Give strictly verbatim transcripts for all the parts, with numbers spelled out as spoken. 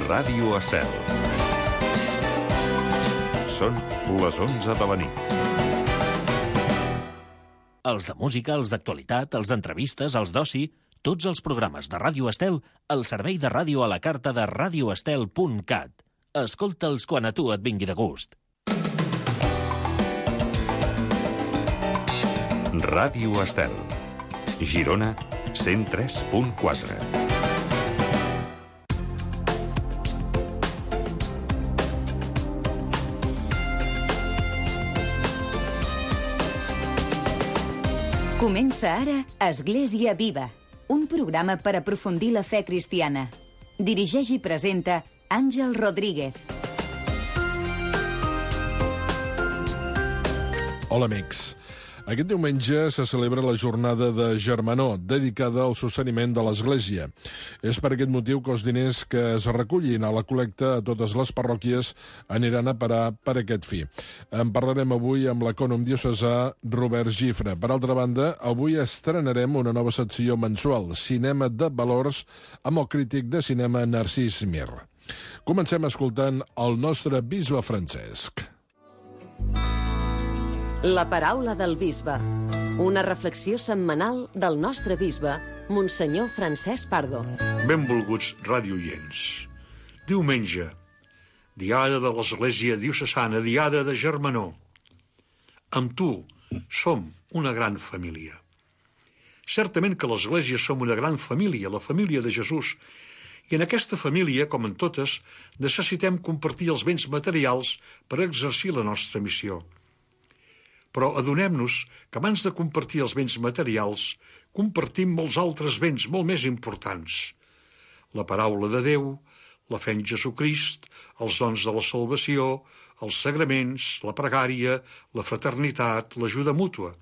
Ràdio Estel. Són les onze de la nit. Els de música, els d'actualitat, els d'entrevistes, els d'oci, tots els programes de Ràdio Estel al servei de ràdio a la carta de radioestel punt cat. Escolta'ls quan a tu et vingui de gust. Ràdio Estel. Girona, cent tres punt quatre. Comença ara Església Viva, un programa per aprofundir la fe cristiana. Dirigeix i presenta Àngel Rodríguez. Hola, amics. Aquest diumenge se celebra la jornada de Germanor, dedicada al sosteniment de l'Església. És per aquest motiu que els diners que es recullin a la col·lecta a totes les parròquies aniran a parar per aquest fi. En parlarem avui amb l'ecònom diocesà Robert Gifre. Per altra banda, avui estrenarem una nova secció mensual, Cinema de Valors, amb el crític de cinema Narcís Mir. Comencem escoltant el nostre bisbe Francesc. La paraula del bisbe. Una reflexió setmanal del nostre bisbe, Monsenyor Francesc Pardo. Benvolguts radioients. Diumenge, diada de l'Església Diocesana, diada de Germanor. Amb tu som una gran família. Certament que l'Església som una gran família, la família de Jesús, i en aquesta família, com en totes, necessitem compartir els béns materials per exercir la nostra missió. Però adonem-nos que abans de compartir els béns materials, compartim molts altres béns molt més importants. La paraula de Déu, la fe en Jesucrist, els dons de la salvació, els sagraments, la pregària, la fraternitat, l'ajuda mútua.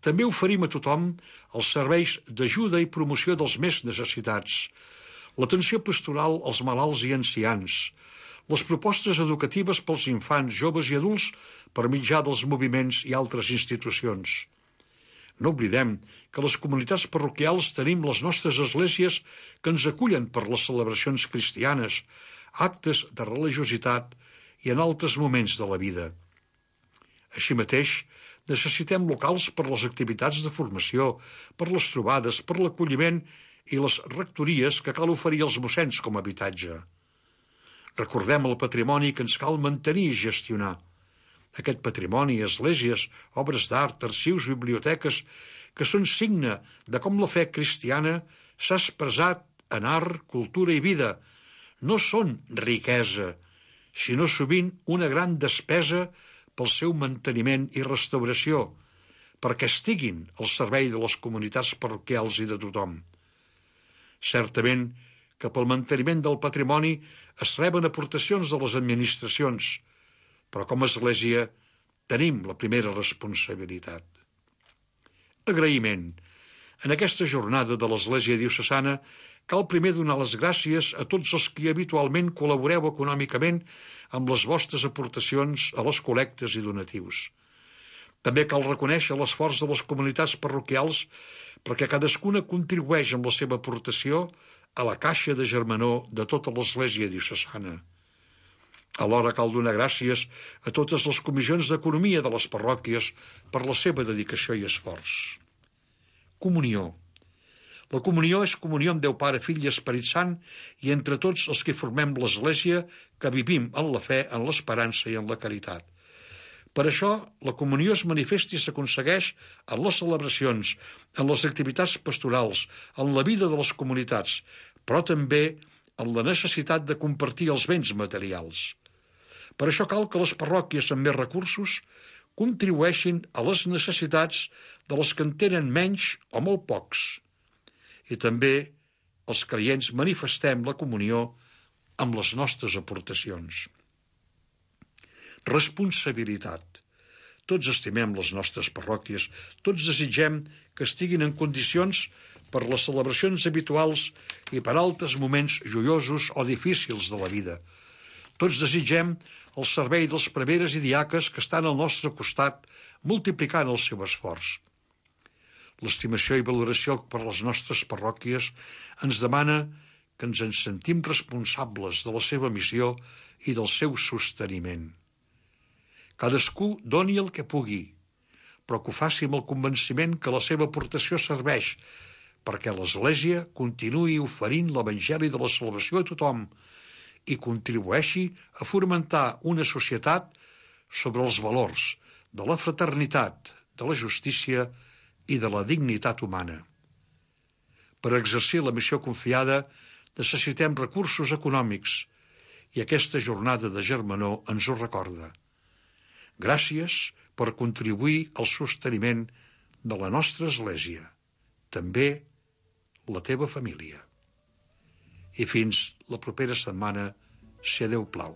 També oferim a tothom els serveis d'ajuda i promoció dels més necessitats, l'atenció pastoral als malalts i ancians, les propostes educatives pels infants, joves i adults per mitjà dels moviments i altres institucions. No oblidem que les comunitats parroquials tenim les nostres esglésies que ens acullen per les celebracions cristianes, actes de religiositat i en altres moments de la vida. Així mateix, necessitem locals per les activitats de formació, per les trobades, per l'acolliment i les rectories que cal oferir als mossens com a habitatge. Recordem el patrimoni que ens cal mantenir i gestionar. Aquest patrimoni, esglésies, obres d'art, arxius, biblioteques, que són signe de com la fe cristiana s'ha expressat en art, cultura i vida, no són riquesa, sinó sovint una gran despesa pel seu manteniment i restauració, perquè estiguin al servei de les comunitats parroquials i de tothom. Certament que pel manteniment del patrimoni es reben aportacions de les administracions, però com a Església tenim la primera responsabilitat. Agraïment. En aquesta jornada de l'Església Diocesana cal primer donar les gràcies a tots els que habitualment col·laboreu econòmicament amb les vostres aportacions a les col·lectes i donatius. També cal reconèixer l'esforç de les comunitats parroquials perquè cadascuna contribueix amb la seva aportació a la caixa de Germanor de tota l'Església Diocesana. Alhora cal donar gràcies a totes les comissions d'economia de les parròquies per la seva dedicació i esforç. Comunió. La comunió és comunió amb Déu Pare, Fill i Esperit Sant i entre tots els que formem l'Església que vivim en la fe, en l'esperança i en la caritat. Per això, la comunió es manifesta i s'aconsegueix en les celebracions, en les activitats pastorals, en la vida de les comunitats, però també en la necessitat de compartir els béns materials. Per això cal que les parròquies amb més recursos contribueixin a les necessitats de les que en tenen menys o molt pocs. I també els creients manifestem la comunió amb les nostres aportacions. Responsabilitat. Tots estimem les nostres parròquies, tots desitgem que estiguin en condicions per les celebracions habituals i per altres moments joiosos o difícils de la vida. Tots desitgem el servei dels preveres i diaques que estan al nostre costat, multiplicant el seu esforç. L'estimació i valoració per les nostres parròquies ens demana que ens en sentim responsables de la seva missió i del seu sosteniment. Cadascú doni el que pugui, però que ho faci amb el convenciment que la seva aportació serveix perquè l'Església continuï oferint l'Evangeli de la salvació a tothom i contribueixi a fomentar una societat sobre els valors de la fraternitat, de la justícia i de la dignitat humana. Per exercir la missió confiada necessitem recursos econòmics i aquesta jornada de germanor ens ho recorda. Gràcies per contribuir al sosteniment de la nostra Església, també la teva família. I fins la propera setmana, si a Déu plau.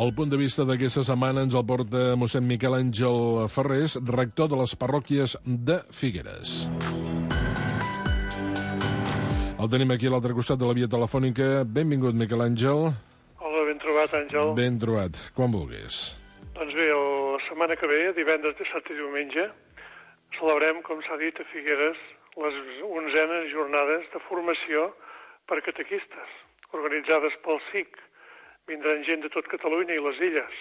El punt de vista d'aquesta setmana ens el porta mossèn Miquel Àngel Ferrés, rector de les parròquies de Figueres. El tenim aquí a l'altre costat de la via telefònica. Benvingut, Miquel Àngel. Hola, ben trobat, Àngel. Ben trobat, quan vulguis. Doncs bé, la setmana que ve, divendres, dissabte i diumenge, celebrem, com s'ha dit, a Figueres, les onzenes jornades de formació per catequistes, organitzades pel S I C. Vindran gent de tot Catalunya i les illes.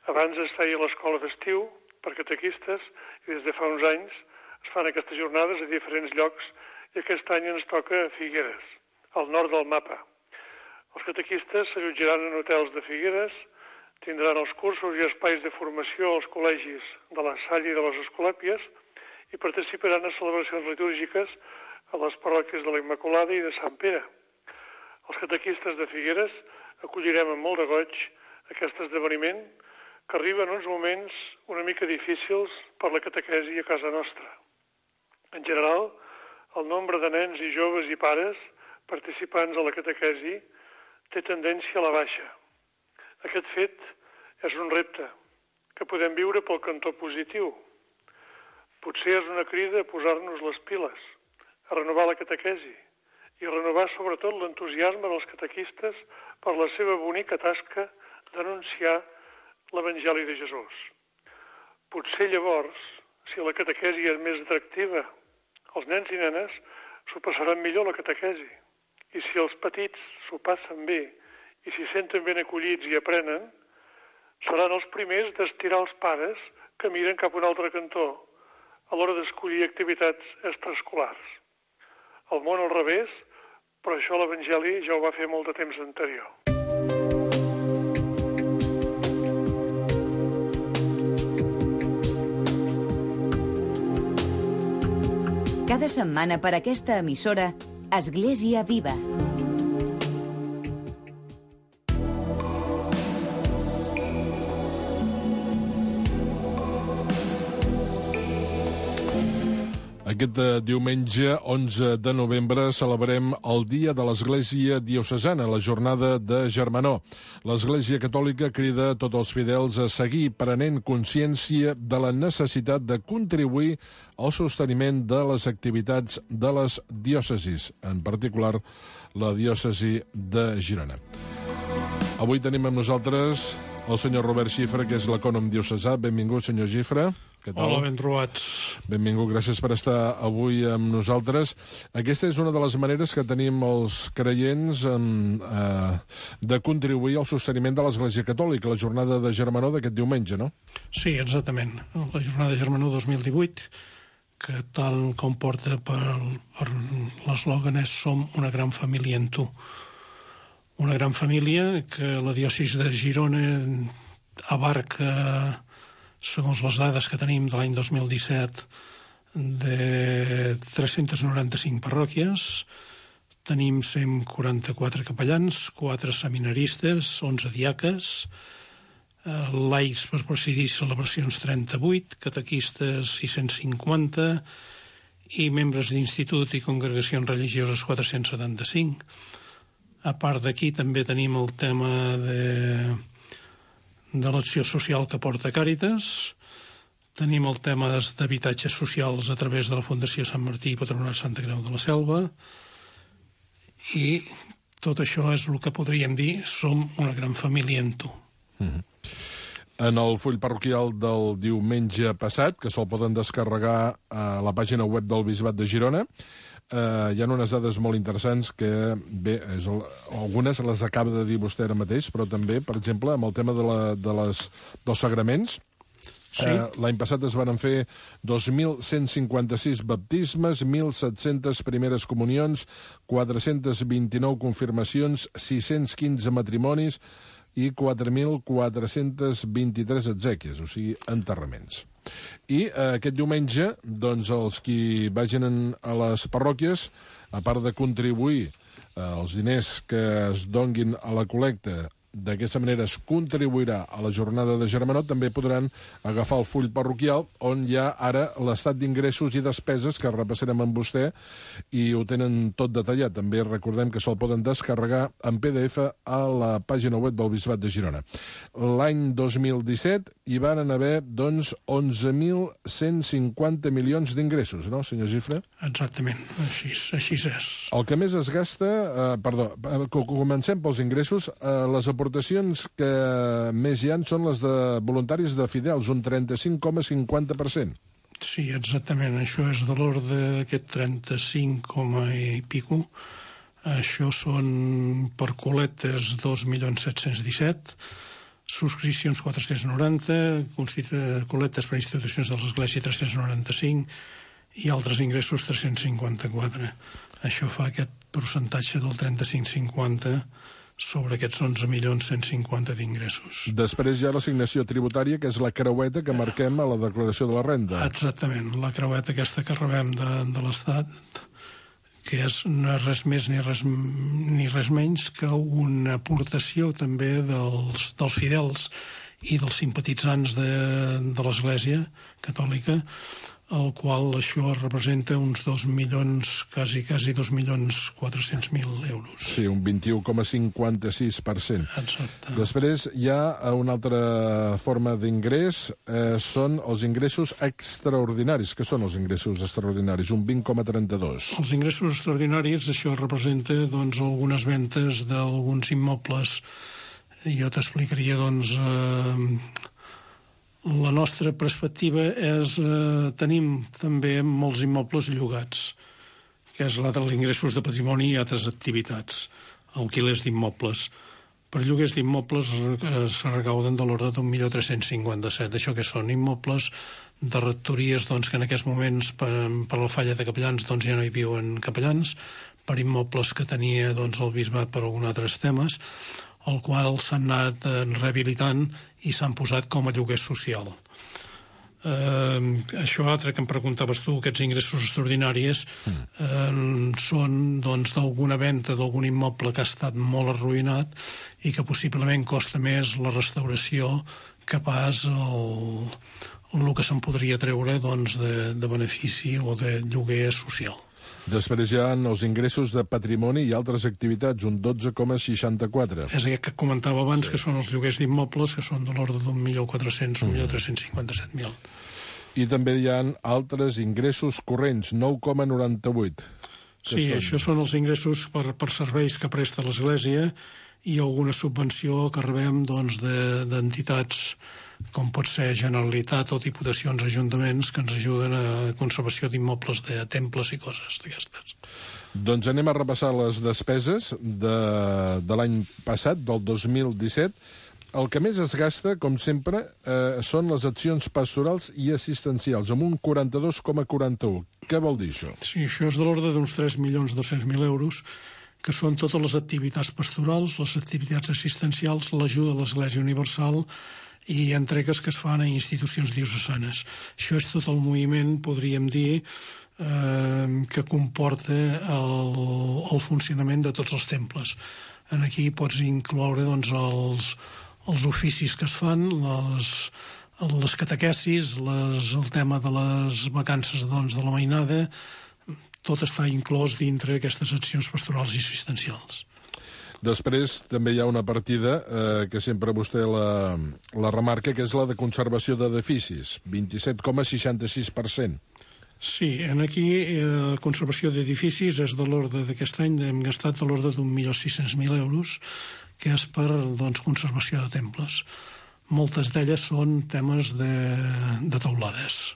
Abans es feia l'escola d'estiu per catequistes i des de fa uns anys es fan aquestes jornades a diferents llocs i aquest any ens toca a Figueres, al nord del mapa. Els catequistes s'allotjaran en hotels de Figueres, tindran els cursos i espais de formació als col·legis de la Salle i de les Escolàpies i participaran a celebracions litúrgiques a les parròquies de la Immaculada i de Sant Pere. Els catequistes de Figueres acollirem amb molt de goig aquest esdeveniment que arriba en uns moments una mica difícils per la catequesi a casa nostra. En general, el nombre de nens i joves i pares participants a la catequesi té tendència a la baixa. Aquest fet és un repte que podem viure pel cantó positiu. Potser és una crida a posar-nos les piles, a renovar la catequesi i a renovar sobretot l'entusiasme dels catequistes per la seva bonica tasca d'anunciar l'Evangeli de Jesús. Potser llavors, si la catequesi és més atractiva, els nens i nenes s'ho passaran millor la catequesi. I si els petits s'ho passen bé i s'hi senten ben acollits i aprenen, seran els primers d'estirar els pares que miren cap a un altre cantó a l'hora d'escollir activitats extraescolars. El món al revés, però això l'Evangeli ja ho va fer molt de temps anterior. Cada setmana per aquesta emissora, Església Viva. Aquest diumenge, onze de novembre, celebrem el Dia de l'Església Diocesana, la jornada de Germanor. L'Església Catòlica crida a tots els fidels a seguir prenent consciència de la necessitat de contribuir al sosteniment de les activitats de les diòcesis, en particular la diòcesi de Girona. Avui tenim amb nosaltres el senyor Robert Xifra, que és l'ecònom diocesà. Benvingut, senyor Xifra. Què tal? Hola, ben trobats. Benvingut, gràcies per estar avui amb nosaltres. Aquesta és una de les maneres que tenim els creients en, eh, de contribuir al sosteniment de l'Església Catòlica, la jornada de Germanor d'aquest diumenge, no? Sí, exactament. La jornada de Germanor dos mil divuit, que tal com porta per, per l'eslògan és Som una gran família en tu. Una gran família que la diòcesi de Girona abarca, segons les dades que tenim de l'any dos mil disset, de tres-centes noranta-cinc parròquies. Tenim cent quaranta-quatre capellans, quatre seminaristes, onze diaques, laics per presidir celebracions trenta-vuit, catequistes sis-cents cinquanta i membres d'institut i congregacions religioses quatre-cents setanta-cinc. A part d'aquí també tenim el tema de... de l'acció social que porta Càritas, tenim el tema d'habitatges socials a través de la Fundació Sant Martí i Patronat Santa Creu de la Selva, i tot això és el que podríem dir Som una gran família en tu. Mm-hmm. En el full parroquial del diumenge passat, que se'l poden descarregar a la pàgina web del Bisbat de Girona, eh, hi ha unes dades molt interessants que, bé, és el, algunes les acaba de dir vostè ara mateix, però també, per exemple, amb el tema de, la, de les, dels sagraments. Sí. Eh, L'any passat es van fer dos mil cent cinquanta-sis baptismes, mil set-centes primeres comunions, quatre-cents vint-i-nou confirmacions, sis-cents quinze matrimonis i quatre mil quatre-cents vint-i-tres exèquies, o sigui, enterraments. I eh, aquest diumenge, doncs, els qui vagin a les parròquies, a part de contribuir eh, els diners que es donguin a la col·lecta, d'aquesta manera es contribuirà a la jornada de Germanó, també podran agafar el full parroquial on hi ha ara l'estat d'ingressos i despeses que repassarem amb vostè i ho tenen tot detallat. També recordem que se'l poden descarregar en P D F a la pàgina web del Bisbat de Girona. L'any dos mil disset hi van haver, doncs, onze mil cent cinquanta milions d'ingressos, no, senyor Gifre? Exactament, així, així és. El que més es gasta, eh, perdó, comencem pels ingressos, eh, les aportacions que més hi ha són les de voluntaris de fidels, un trenta-cinc coma cinquanta per cent. Sí, exactament. Això és de l'ordre d'aquest trenta-cinc coma i pico. Això són per col·lectes dos milions set-cents disset, subscripcions quatre-cents noranta, col·lectes per institucions de l'Església tres-cents noranta-cinc i altres ingressos tres-cents cinquanta-quatre. Això fa aquest percentatge del trenta-cinc cinquanta sobre aquests onze milions cent cinquanta d'ingressos. Després hi ha l'assignació tributària, que és la creueta que marquem a la declaració de la renda. Exactament, la creueta aquesta que rebem de, de l'Estat, que és, no és res més ni res, ni res menys que una aportació també dels, dels fidels i dels simpatitzants de, de l'Església Catòlica, el qual això representa uns dos milions, quasi, quasi dos milions quatre-cents mil euros. Sí, un vint-i-u coma cinquanta-sis per cent. Exacte. Després hi ha una altra forma d'ingrés, eh, són els ingressos extraordinaris. Què són els ingressos extraordinaris? Un vint coma trenta-dos. Els ingressos extraordinaris, això representa, doncs, algunes ventes d'alguns immobles. Jo t'explicaria, doncs, eh, la nostra perspectiva és, eh, tenim també molts immobles llogats, que és la de ingressos de patrimoni i altres activitats, alquilers d'immobles. Per lloguers d'immobles eh, se recauden de l'ordre d'un milió tres-cents cinquanta-set. Això que són immobles de rectories, doncs, que en aquests moments, per, per la falla de capellans, doncs, ja no hi viuen capellans, per immobles que tenia, doncs, el bisbat per alguns altres temes, el qual s'han anat rehabilitant i s'han posat com a lloguer social. Eh, això altre que em preguntaves tu, aquests ingressos extraordinaris, eh, són, doncs, d'alguna venda d'algun immoble que ha estat molt arruïnat i que possiblement costa més la restauració que pas el, el que se'n podria treure, doncs, de, de benefici o de lloguer social. Després hi ha els ingressos de patrimoni i altres activitats, un dotze coma seixanta-quatre. És aquest que comentava abans, sí, que són els lloguers d'immobles, que són de l'ordre d'un milió quatre-cents, un milió tres-cents cinquanta-set mil. I també hi ha altres ingressos corrents, nou coma noranta-vuit. Sí, són... això són els ingressos per, per serveis que presta l'Església i alguna subvenció que rebem, doncs, de, d'entitats com pot ser Generalitat o Diputacions, ajuntaments, que ens ajuden a conservació d'immobles de temples i coses d'aquestes. Doncs anem a repassar les despeses de, de l'any passat, del dos mil disset. El que més es gasta, com sempre, eh, són les accions pastorals i assistencials, amb un quaranta-dos coma quaranta-u. Què vol dir això? Sí, això és de l'ordre d'uns tres milions dos-cents mil euros, que són totes les activitats pastorals, les activitats assistencials, l'ajuda a l'Església Universal i entregues que es fan a institucions diocesanes. Això és tot el moviment, podríem dir, eh, que comporta el, el funcionament de tots els temples. En aquí pots incloure, doncs, els, els oficis que es fan, les, les catequesis, les, el tema de les vacances, doncs, de la mainada, tot està inclòs dintre aquestes accions pastorals i assistencials. Després també hi ha una partida eh, que sempre vostè la, la remarca, que és la de conservació d'edificis, vint-i-set coma seixanta-sis per cent. Sí, en aquí eh, conservació d'edificis és de l'ordre d'aquest any, hem gastat de l'ordre d'un milió sis-cents mil euros, que és per, doncs, conservació de temples. moltes d'elles són temes de, de teulades.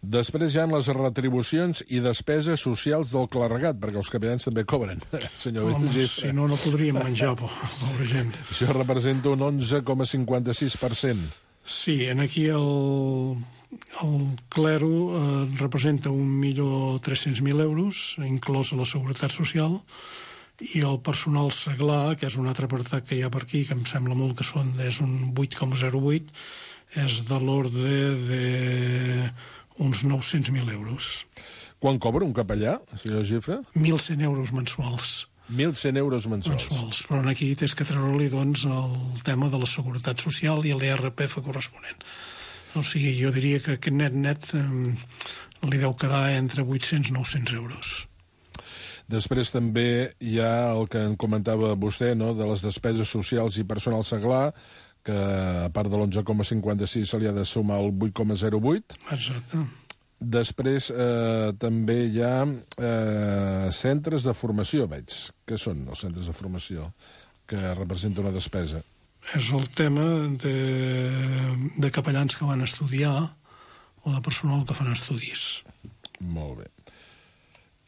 Després hi ha les retribucions i despeses socials del clergat, perquè els capellans també cobren, senyor Home, Gifre. si no, no podríem menjar, pobra gent. Això representa un onze coma cinquanta-sis per cent. Sí, en aquí el, el clero eh, representa un milió tres-cents mil euros, inclòs a la Seguretat Social, i el personal seglar, que és un altre apartat que hi ha per aquí, que em sembla molt que són, és un vuit coma zero vuit, és de l'ordre de uns nou-cents mil euros. Quan cobra un capellà, senyor Gifre? mil cent euros mensuals. mil cent euros mensuals. mensuals. Però aquí tens que treure-li doncs, el tema de la Seguretat Social i l'I R P F corresponent. O sigui, jo diria que aquest net-net eh, li deu quedar entre vuit-cents i nou-cents euros. Després també hi ha el que en comentava vostè, no?, de les despeses socials i personal seglar, que a part de l'onze coma cinquanta-sis se li ha de sumar el vuit coma zero vuit. Exacte. Després eh, també hi ha eh, centres de formació, veig. Què són els centres de formació que representa una despesa? És el tema de, de capellans que van estudiar o de personal que fan estudis. Molt bé.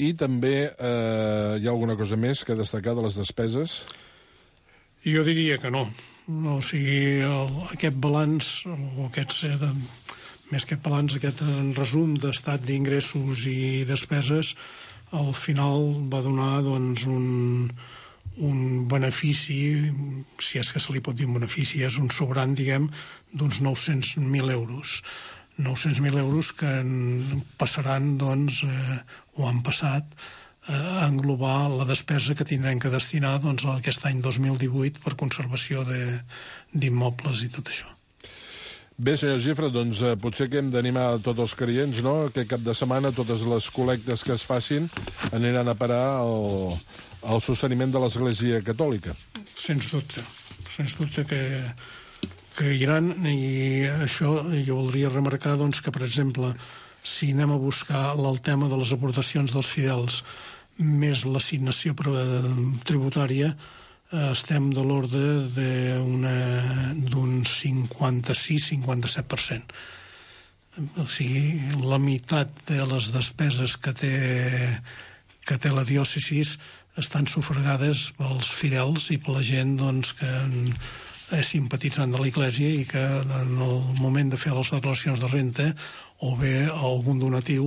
I també eh, hi ha alguna cosa més que destacar de les despeses? Jo diria que no. O sigui, el, aquest balanç, o aquests, eh, de, més que balanç, aquest resum d'estat d'ingressos i despeses, al final va donar doncs, un, un benefici, si és que se li pot dir un benefici, és un sobrant, diguem, d'uns nou-cents mil euros. nou-cents mil euros que passaran, doncs, eh, o han passat, a englobar la despesa que tindrem que destinar doncs, aquest any dos mil divuit per conservació d'immobles i tot això. Bé, senyor Gifre, doncs eh, potser que hem d'animar tots els creients, no?, que cap de setmana totes les col·lectes que es facin aniran a parar al, al sosteniment de l'Església Catòlica. Sens dubte, sens dubte que, que hi ha, i això jo voldria remarcar doncs, que, per exemple, si anem a buscar el tema de les aportacions dels fidels més l'assignació tributària, estem de l'ordre d'un cinquanta-sis cinquanta-set per cent. O sigui, la meitat de les despeses que té, que té la diòcesi estan sufragades pels fidels i per la gent doncs, que és simpatitzant de l'Església i que en el moment de fer les declaracions de renta o bé algun donatiu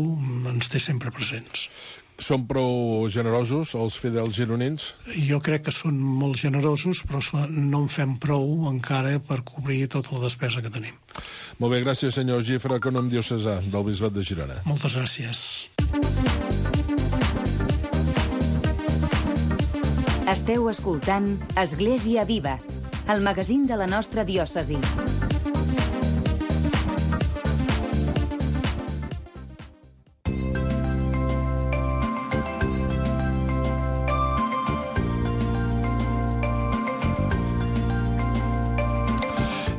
ens té sempre presents. Són prou generosos els fidels gironins? Jo crec que són molt generosos, però no en fem prou encara per cobrir tota la despesa que tenim. Molt bé, gràcies, senyor Gifre, econòmic diocesà del Bisbat de Girona. Moltes gràcies. Esteu escoltant Església Viva, el magazín de la nostra diòcesi.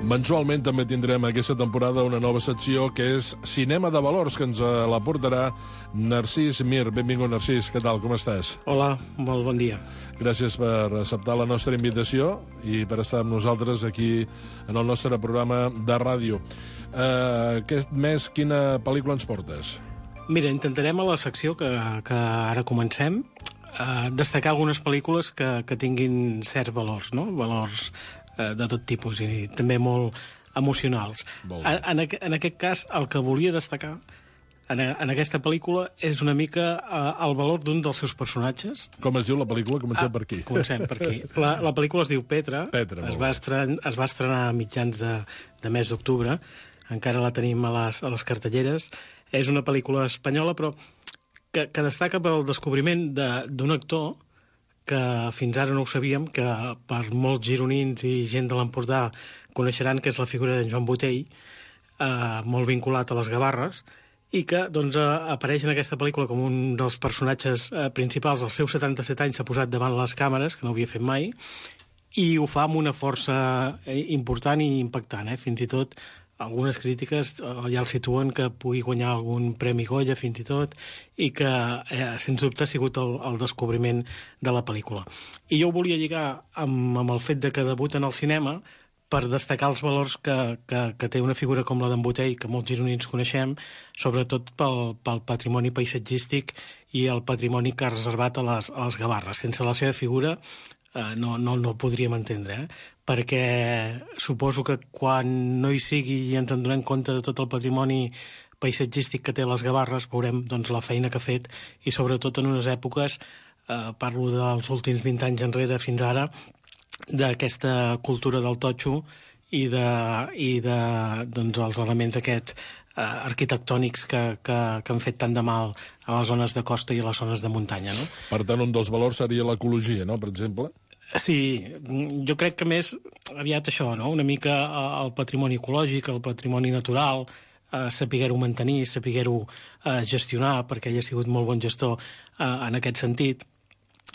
Mensualment també tindrem aquesta temporada una nova secció que és Cinema de Valors, que ens la portarà Narcís Mir. Benvingut, Narcís. Què tal? Com estàs? Hola, molt bon dia. Gràcies per acceptar la nostra invitació i per estar amb nosaltres aquí en el nostre programa de ràdio. Uh, aquest mes, quina pel·lícula ens portes? Mira, intentarem a la secció que, que ara comencem uh, destacar algunes pel·lícules que, que tinguin certs valors, no? Valors de tot tipus i també molt emocionals. Molt en, en, en aquest cas, el que volia destacar en, en aquesta pel·lícula és una mica uh, el valor d'un dels seus personatges. Com es diu la pel·lícula? Comencem ah, per aquí. Comencem per aquí. La, la pel·lícula es diu Petra. Petra, es va, estren, es va estrenar a mitjans de, de mes d'octubre. Encara la tenim a les, a les cartelleres. És una pel·lícula espanyola, però que, que destaca pel descobriment d'un actor que fins ara no ho sabíem, que per molts gironins i gent de l'Empordà coneixeran que és la figura d'en Joan Botell, eh, molt vinculat a les Gavarres, i que doncs, eh, apareix en aquesta pel·lícula com un dels personatges eh, principals. Als seus setanta-set anys s'ha posat davant les càmeres, que no ho havia fet mai, i ho fa amb una força important i impactant. Eh? Fins i tot algunes crítiques ja el situen que pugui guanyar algun Premi Goya, fins i tot, i que, eh, sens dubte, ha sigut el, el descobriment de la pel·lícula. I jo ho volia lligar amb, amb el fet de que debuta en el cinema per destacar els valors que, que, que té una figura com la d'en Botey, que molts gironins coneixem, sobretot pel, pel patrimoni paisatgístic i el patrimoni que ha reservat a les, a les Gavarres. Sense la seva figura eh, no, no, no el podríem entendre, eh? Perquè suposo que quan no hi sigui i ens en donem compte de tot el patrimoni paisatgístic que té les Gavarres, veurem doncs, la feina que ha fet i sobretot en unes èpoques, eh, parlo dels últims vint anys enrere fins ara, d'aquesta cultura del totxo i de, i de doncs, els elements aquests eh, arquitectònics que, que, que han fet tant de mal a les zones de costa i a les zones de muntanya. No? Per tant, un dels valors seria l'ecologia, no?, per exemple? Sí, jo crec que més aviat això, no? Una mica el patrimoni ecològic, el patrimoni natural, eh, saber-ho mantenir, saber-ho eh, gestionar, perquè ell ha sigut molt bon gestor eh, en aquest sentit.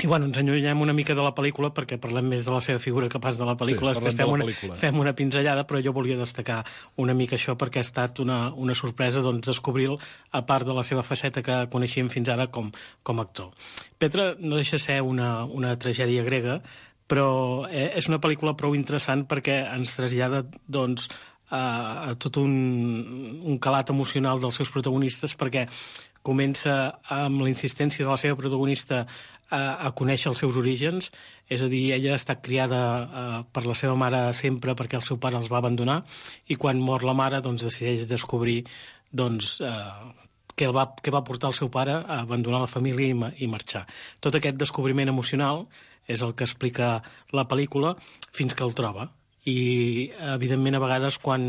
I bueno, ens enllunyem una mica de la pel·lícula perquè parlem més de la seva figura que pas de la pel·lícula. Sí, Després de fem, la una, pel·lícula. fem una pinzellada, però jo volia destacar una mica això perquè ha estat una, una sorpresa doncs, descobrir-lo a part de la seva faceta que coneixíem fins ara com, com a actor. Petra no deixa ser una, una tragèdia grega, però és una pel·lícula prou interessant perquè ens trasllada doncs, a, a tot un, un calat emocional dels seus protagonistes, perquè comença amb la insistència de la seva protagonista a, a conèixer els seus orígens, és a dir, ella ha estat criada uh, per la seva mare sempre perquè el seu pare els va abandonar, i quan mor la mare doncs, decideix descobrir doncs, uh, què, el va, què va portar el seu pare a abandonar la família i, i marxar. Tot aquest descobriment emocional és el que explica la pel·lícula fins que el troba. I, evidentment, a vegades, quan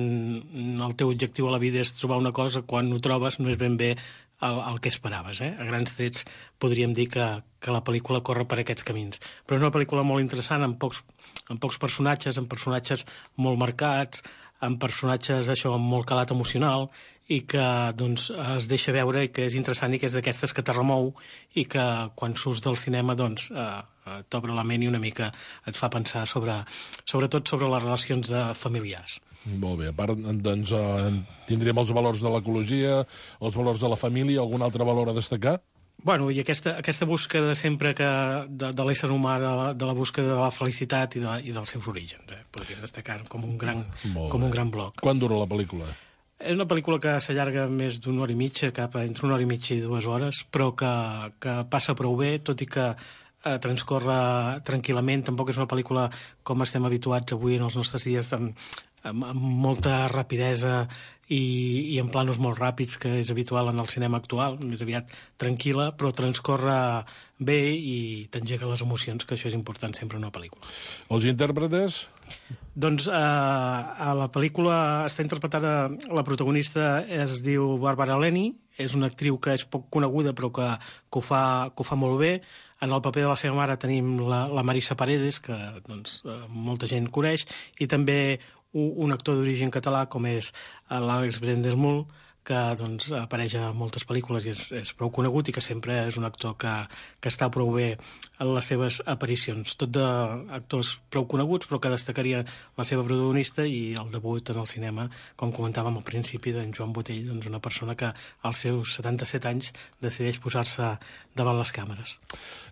el teu objectiu a la vida és trobar una cosa, quan ho trobes no és ben bé el, el que esperaves. Eh? A grans trets podríem dir que, que la pel·lícula corre per aquests camins. Però és una pel·lícula molt interessant, amb pocs, amb pocs personatges, amb personatges molt marcats, amb personatges això, amb molt calat emocional, i que doncs, es deixa veure i que és interessant i que és d'aquestes que te remou i que quan surts del cinema doncs, eh, t'obre la ment i una mica et fa pensar sobre, sobretot sobre les relacions de familiars. Molt bé. A part, doncs, eh, tindríem els valors de l'ecologia, els valors de la família, algun altre valor a destacar? Bueno, i aquesta, aquesta búsqueda sempre que de, de l'ésser humà, de la, de la búsqueda de la felicitat i, de, i dels seus orígens. Eh? Podríem destacar com un gran, com un gran bloc. Quan dura la pel·lícula? És una pel·lícula que s'allarga més d'una hora i mitja, cap a entre una hora i mitja i dues hores, però que, que passa prou bé, tot i que eh, transcorre tranquil·lament. Tampoc és una pel·lícula com estem habituats avui en els nostres dies, amb, amb, amb molta rapidesa i, i en planos molt ràpids, que és habitual en el cinema actual, més aviat tranquil·la, però transcorre bé i t'engega les emocions, que això és important sempre en una pel·lícula. Els intèrpretes? Doncs eh, a la pel·lícula està interpretada, la protagonista es diu Bàrbara Leni, és una actriu que és poc coneguda però que, que, ho, fa, que ho fa molt bé. En el paper de la seva mare tenim la, la Marisa Paredes, que doncs, molta gent coneix, i també un, un actor d'origen català com és l'Àlex Brendelmull, que doncs, apareix a moltes pel·lícules i és, és prou conegut i que sempre és un actor que, que està prou bé en les seves aparicions. Tot d'actors prou coneguts, però que destacaria la seva protagonista i el debut en el cinema, com comentàvem al principi, d'en Joan Botey, doncs una persona que als seus setanta-set anys decideix posar-se davant les càmeres.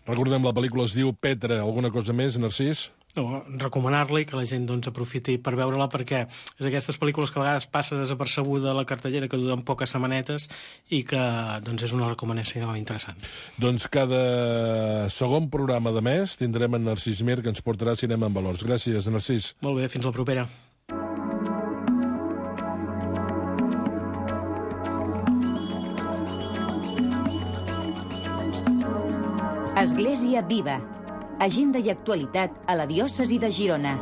Recordem, la pel·lícula es diu Petra. Alguna cosa més, Narcís? No, recomanar-la i que la gent doncs, aprofiti per veure-la, perquè és d'aquestes pel·lícules que a vegades passa desapercebuda a la cartellera, que duren poques setmanetes i que doncs, és una recomanació interessant. Doncs cada segon programa de mes tindrem en Narcís Mir, que ens portarà Cinema en Valors. Gràcies, Narcís. Molt bé, fins la propera. Església Viva. Agenda i actualitat a la diòcesi de Girona.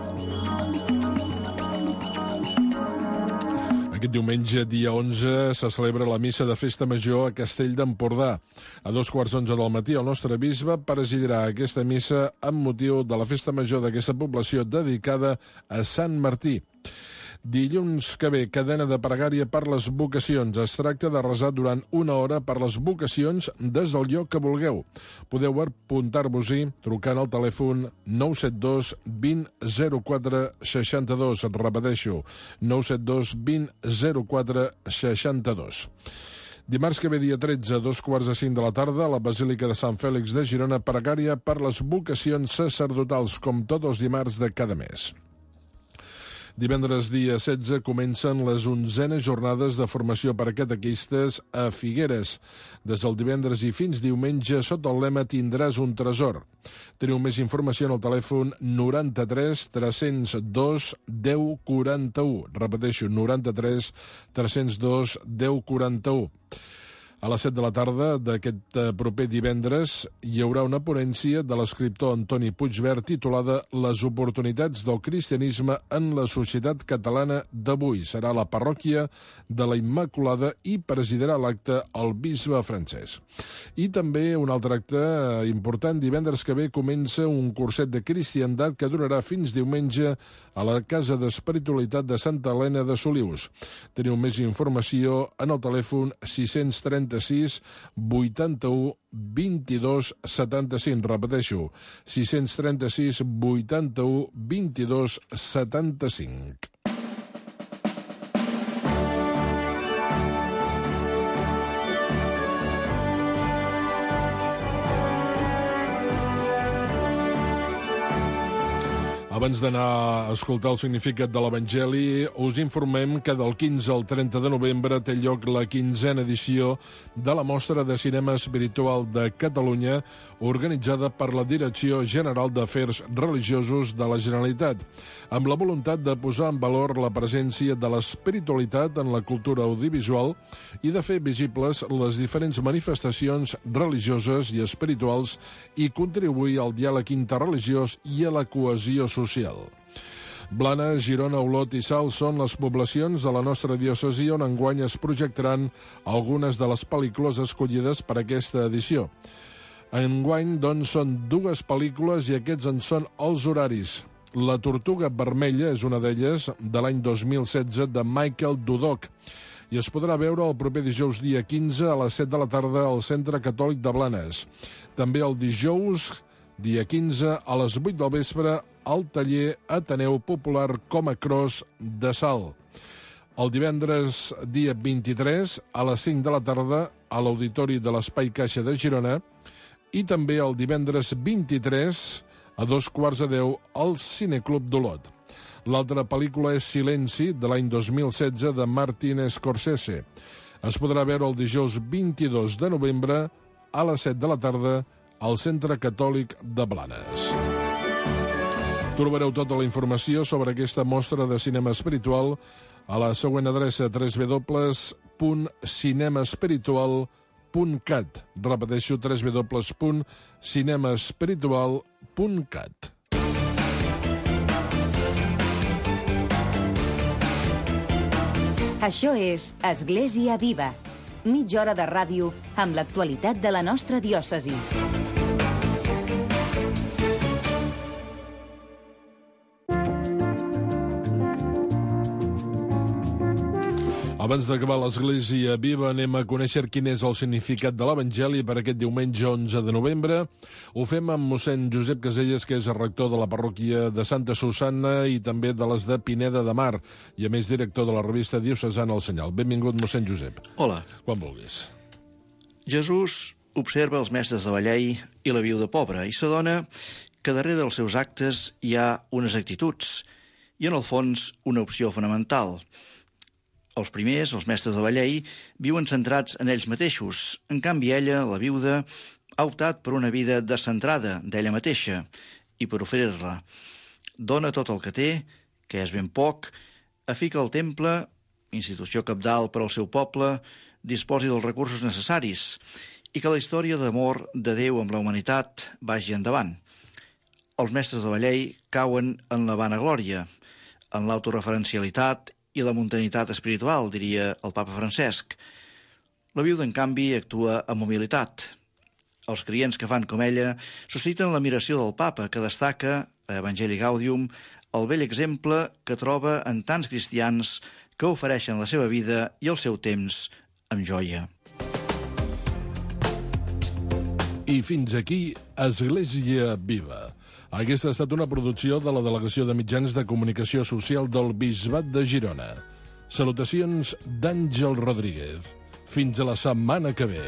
Aquest diumenge, dia onze, se celebra la missa de Festa Major a Castell d'Empordà. A dos quarts d'onze del matí, el nostre bisbe presidirà aquesta missa amb motiu de la Festa Major d'aquesta població dedicada a Sant Martí. Dilluns que ve, cadena de pregària per les vocacions. Es tracta de resar durant una hora per les vocacions des del lloc que vulgueu. Podeu apuntar-vos-hi trucant al telèfon nou set dos vint zero quatre seixanta-dos. Et repeteixo, nou set dos vint zero quatre seixanta-dos. Dimarts que ve, dia tretze, a dos quarts de cinc de la tarda, a la Basílica de Sant Fèlix de Girona, pregària per les vocacions sacerdotals, com tots els dimarts de cada mes. Divendres dia setze comencen les onzenes jornades de formació per a catequistes a Figueres. Des del divendres i fins diumenge, sota el lema Tindràs un tresor. Teniu més informació en el telèfon noranta-tres tres-cents dos deu quaranta-u. Repeteixo, noranta-tres tres-cents dos deu quaranta-u. A les set de la tarda d'aquest proper divendres hi haurà una ponència de l'escriptor Antoni Puigvert titulada Les oportunitats del cristianisme en la societat catalana d'avui. Serà a la parròquia de la Immaculada i presidirà l'acte el bisbe francès. I també un altre acte important. Divendres que ve comença un curset de cristiandat que durarà fins diumenge a la Casa d'Espiritualitat de Santa Helena de Solius. Teniu més informació en el telèfon sis-cents trenta-sis vuitanta-u vint-i-dos setanta-cinc. Repeteixo, sis-cents trenta-sis vuitanta-u vint-i-dos setanta-cinc. Abans d'anar a escoltar el significat de l'Evangeli, us informem que del quinze al trenta de novembre té lloc la quinzena edició de la Mostra de Cinema Espiritual de Catalunya, organitzada per la Direcció General d'Afers Religiosos de la Generalitat, amb la voluntat de posar en valor la presència de l'espiritualitat en la cultura audiovisual i de fer visibles les diferents manifestacions religioses i espirituals i contribuir al diàleg interreligiós i a la cohesió social. Blanes, Girona, Olot i Salt són les poblacions de la nostra diòcesi on enguany es projectaran algunes de les pel·lícules escollides per aquesta edició. Enguany, doncs, són dues pel·lícules i aquests en són els horaris. La Tortuga Vermella és una d'elles, de l'any dos mil setze, de Michael Dudok, i es podrà veure el proper dijous dia quinze a les set de la tarda al Centre Catòlic de Blanes. També el dijous dia quinze, a les vuit del vespre, al taller Ateneu Popular Coma Cross de Salt. El divendres, dia vint-i-tres, a les cinc de la tarda, a l'Auditori de l'Espai Caixa de Girona, i també el divendres vint-i-tres, a dos quarts de deu, al Cineclub d'Olot. L'altra pel·lícula és Silenci, de l'any dos mil setze, de Martin Scorsese. Es podrà veure el dijous vint-i-dos de novembre, a les set de la tarda, al Centre Catòlic de Blanes. Trobareu tota la informació sobre aquesta mostra de cinema espiritual a la següent adreça w w w punt cinema espiritual punt cat. Repeteixo, w w w punt cinema espiritual punt cat. Això és Església Viva, mitja hora de ràdio amb l'actualitat de la nostra diòcesi. Abans d'acabar l'Església Viva, anem a conèixer quin és el significat de l'Evangeli per aquest diumenge onze de novembre. Ho fem amb mossèn Josep Caselles, que és el rector de la parròquia de Santa Susanna i també de les de Pineda de Mar, i a més director de la revista diocesana El Senyal. Benvingut, mossèn Josep. Hola. Quan vulguis. Jesús observa els mestres de la llei i la viuda pobra i s'adona que darrere dels seus actes hi ha unes actituds i, en el fons, una opció fonamental. Els primers, els mestres de la llei, viuen centrats en ells mateixos. En canvi, ella, la viuda, ha optat per una vida descentrada d'ella mateixa i per oferir-la. Dona tot el que té, que és ben poc, a fi que el temple, institució cabdal per al seu poble, disposi dels recursos necessaris i que la història d'amor de Déu amb la humanitat vagi endavant. Els mestres de la llei cauen en la vanaglòria, en l'autoreferencialitat i la muntanitat espiritual, diria el papa Francesc. La viuda, en canvi, actua amb humilitat. Els creients que fan com ella susciten l'admiració del papa, que destaca, a Evangelii Gaudium, el bell exemple que troba en tants cristians que ofereixen la seva vida i el seu temps amb joia. I fins aquí, Església Viva. Aquesta ha estat una producció de la Delegació de Mitjans de Comunicació Social del Bisbat de Girona. Salutacions d'Àngel Rodríguez. Fins a la setmana que ve.